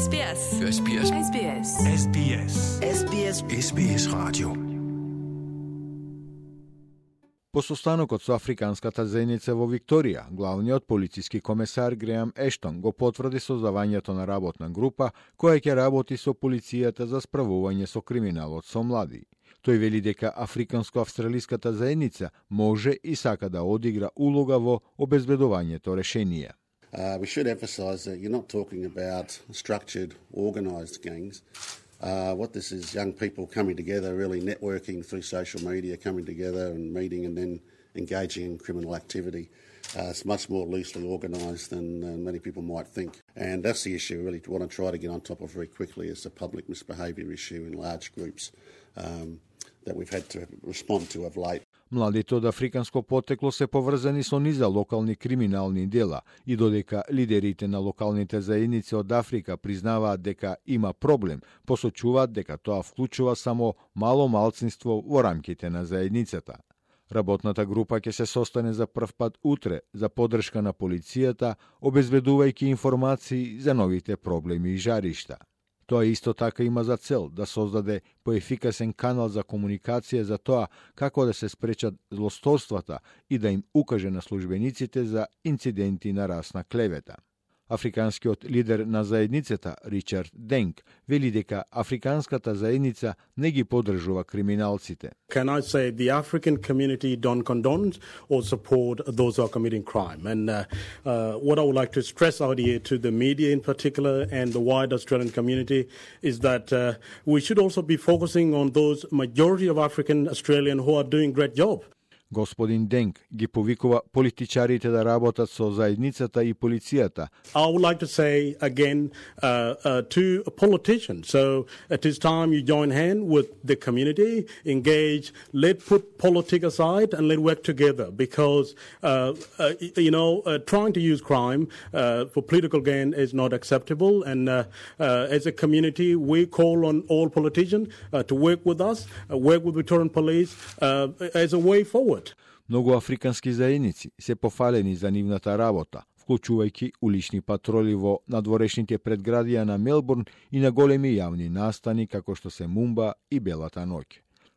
SBS. SBS. SBS. SBS. SBS. SBS радио. По состанокот со африканската заедница во Викторија, главниот полициски комесар Греам Ештон го потврди создавањето на работна група која ќе работи со полицијата за справување со криминалот со млади. Тој вели дека африканско-австралиската заедница може и сака да одигра улога во обезбедувањето решенија. We should emphasise that you're not talking about structured, organised gangs. What this is young people coming together, really networking through social media, coming together and meeting and then engaging in criminal activity. It's much more loosely organised than many people might think. And that's the issue we really want to try to get on top of very quickly is the public misbehaviour issue in large groups that we've had to respond to of late. Младите од африканско потекло се поврзани со низа локални криминални дела и додека лидерите на локалните заедници од Африка признаваат дека има проблем, посочуваат дека тоа вклучува само мало малцинство во рамките на заедницата. Работната група ќе се состане за прв пат утре за поддршка на полицијата, обезбедувајќи информации за новите проблеми и жаришта. Тоа исто така има за цел да создаде поефикасен канал за комуникација за тоа како да се спречат злосторствата и да им укаже на службениците за инциденти на расна клевета. Африканскиот лидер на заедницата, Ричард Денк, вели дека африканската заедница не ги поддржува криминалците. Can I say the African community don't condone or support those who are committing crime? And what I would like to stress out here to the media in particular and the wider Australian community is that we should also be focusing on those majority of African Australian who are doing great job. Господин Денк ги повикува политичарите да работат со заедницата и полицијата. I would like to say again to politicians, so it is time you join hand with the community, engage, let's put politics aside and let's work together because, trying to use crime for political gain is not acceptable and as a community we call on all politicians to work with us, work with Victorian Police as a way forward. Многу африкански заедници се пофалени за нивната работа, вклучувајќи улични патроли во надворешните предградија на Мелбурн и на големи јавни настани како што се Мумба и Белата ноќ.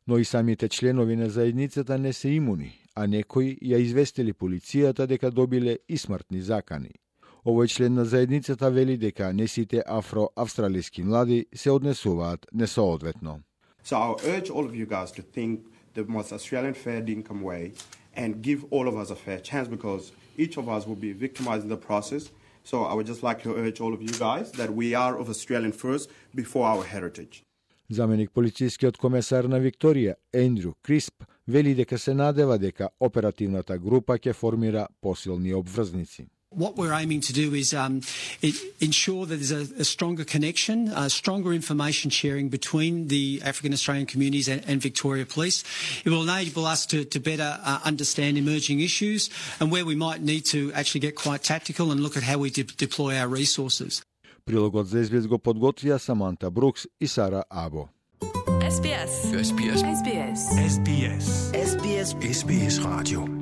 Но и самите членови на заедницата не се имуни, а некои ја известили полицијата дека добиле и смртни закани. Овој член на заедницата вели дека не сите афро-австралиски млади се однесуваат несоодветно. So I'll urge all of you guys to think the most Australian fair income way and give all of us a fair chance because each of us will be victimized in the process. So I would just like to urge all of you guys that we are of Australian first before our heritage. Заменик полицискиот комесар на Викторија, Ендрю Крисп, вели дека се надева дека оперативната група ќе формира посилни обврзници. What we're aiming to do is ensure that there's a stronger connection, stronger information sharing between the African Australian communities and Victoria Police. It will enable us to better understand emerging issues and where we might need to actually get quite tactical and look at how we deploy our resources. Прилогот за SBS го подготвија Саманта Брукс и Сара Або. SBS. SBS. SBS. SBS. SBS. SBS радио.